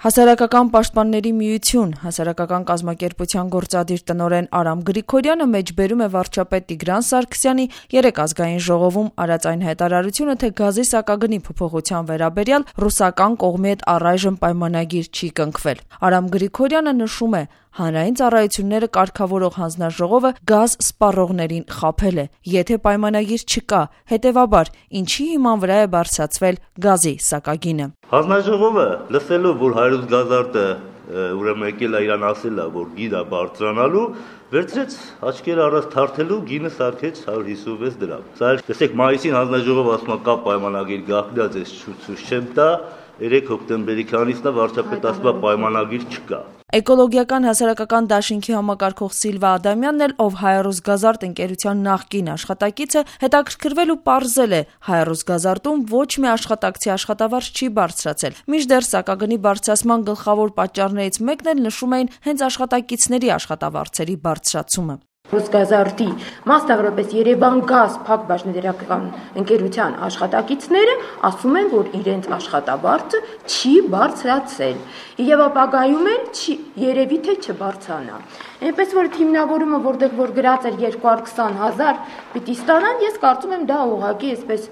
Հասարակական պաշտպանների միություն հասարակական կազմակերպության գործադիր տնօրեն Արամ Գրիգորյանը մեջբերում է վարչապետ Տիգրան Սարգսյանի երեկ ազգային ժողովում արած այն հայտարարությունը, թե գազի սակագնի փոփոխության վերաբերյալ ռուսական կողմի հետ առայժմ պայմանագիր չի կնքվել։ Արամ Գրիգորյանը նշում է, հանրային ծառայությունները կարգավորող հանձնաժողովը գազ սպառողներին խաբել է, եթե պայմանագիր չկա, հետևաբար ինչի հիման վրա է բարձրացվել գազի սակագինը։ Հանձնաժողովը լսելով, որ Հայրուց գազարտը ուրեմն եկել է իրան ասել է, որ գինը բարձրանալու, վերցրեց աչքերը առած թարթելու գինը սարքեց 156 դրամ։ Սա տեսեք մայիսին հանձնաժողովը ասում է կա պայմանագիր գաղտնիա ձեզ ցույց չեմ տա, 3 հոկտեմբերի քանիսն է վարչապետ ասում է պայմանագիր չկա։ Էկոլոգիական հասարակական դաշինքի համակարգող Սիլվա Ադամյանն էլ, ով Հայրուսգազարդ ընկերության նախկին աշխատակից է, հետաքրքրվել ու պարզել է, Հայրուսգազարտում ոչ մի աշխատակցի աշխատավարձ չի բարձրացել։ Մինչդեռ սակագնի բարձրացման գլխավոր պատճառներից մեկն էլ նշում էին հենց աշխատակիցների աշխատավարձերի բարձրացումը։ Ռուսգազարտի, մասնավորապես Երևանգազ փակ բաժնետերական ընկերության աշխատակիցները ասում են, որ իրենց աշխատավարձը չի բարձրացել եւ ապագայում էլ երևի թե չբարձրանա։ Այնպես որ հիմնավորումը, որտեղ որ գրած էր 220,000 պիտի ստանան, ես կարծում եմ դա ուղղակի այսպես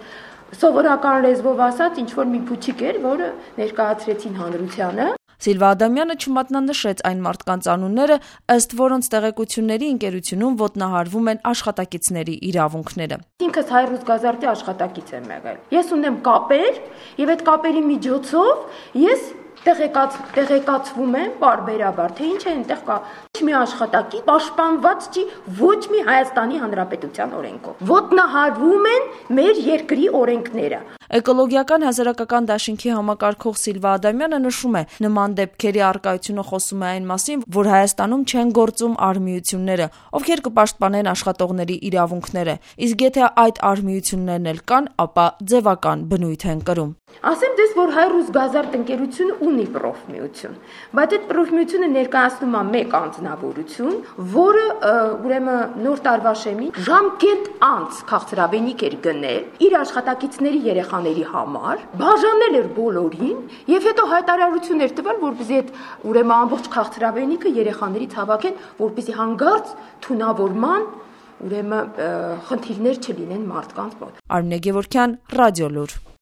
սովորական լեզվով ասած ինչ որ մի փուչիկ էր, որը ներկայացրեցին հանրությանը։ Սիլվա Ադամյանը չմատնանշեց այն մարդկանց անունները, ըստ որոնց տեղեկությունների ընկերությունում ոտնահարվում են աշխատակիցների իրավունքները։ Ինքս Հայրուսգազարտի աշխատակից եմ եղել։ Ես ունեմ կապեր եւ այդ կապերի միջոցով ես տեղեկացվում եմ բարբերաբար, թե ինչ է այնտեղ կա։ Ոչ մի աշխատակից պաշտպանված չի ոչ մի Հայաստանի Հանրապետության օրենքով։ Ոտնահարվում են մեր երկրի օրենքները։ Էկոլոգիական հասարակական դաշինքի համակարգող Սիլվա Ադամյանը նշում է, նման դեպքերի առկայությունը խոսում է այն մասին, որ Հայաստանում չեն գործում արհմիությունները, ովքեր կպաշտպանեն աշխատողների իրավունքները, իսկ եթե այդ արհմիություններն էլ կան, ապա ձևական բնույթ են կրում։ Ասեմ դες, որ Հայրուսգազարդ ընկերությունը ունի պրոֆմիություն, բայց այդ պրոֆմիությունը ներկայացնում է մեկ անձնավորություն, որը ուրեմն նոր տարվա շեմին ժամկետ անց քաղցրավենիք էր գնել իր աշխատակիցների երեխաների համար, բաժանել էր բոլորին եւ հետո հայտարարություն էր տվել, որպեսզի այդ ուրեմն ամբողջ քաղցրավենիքը երեխաներից հավաքեն, որպեսզի հանգարց թունավորման ուրեմն խնդիրներ չլինեն մարդկանց մոտ։ Արմինե Գևորգյան, Ռադիոլուր։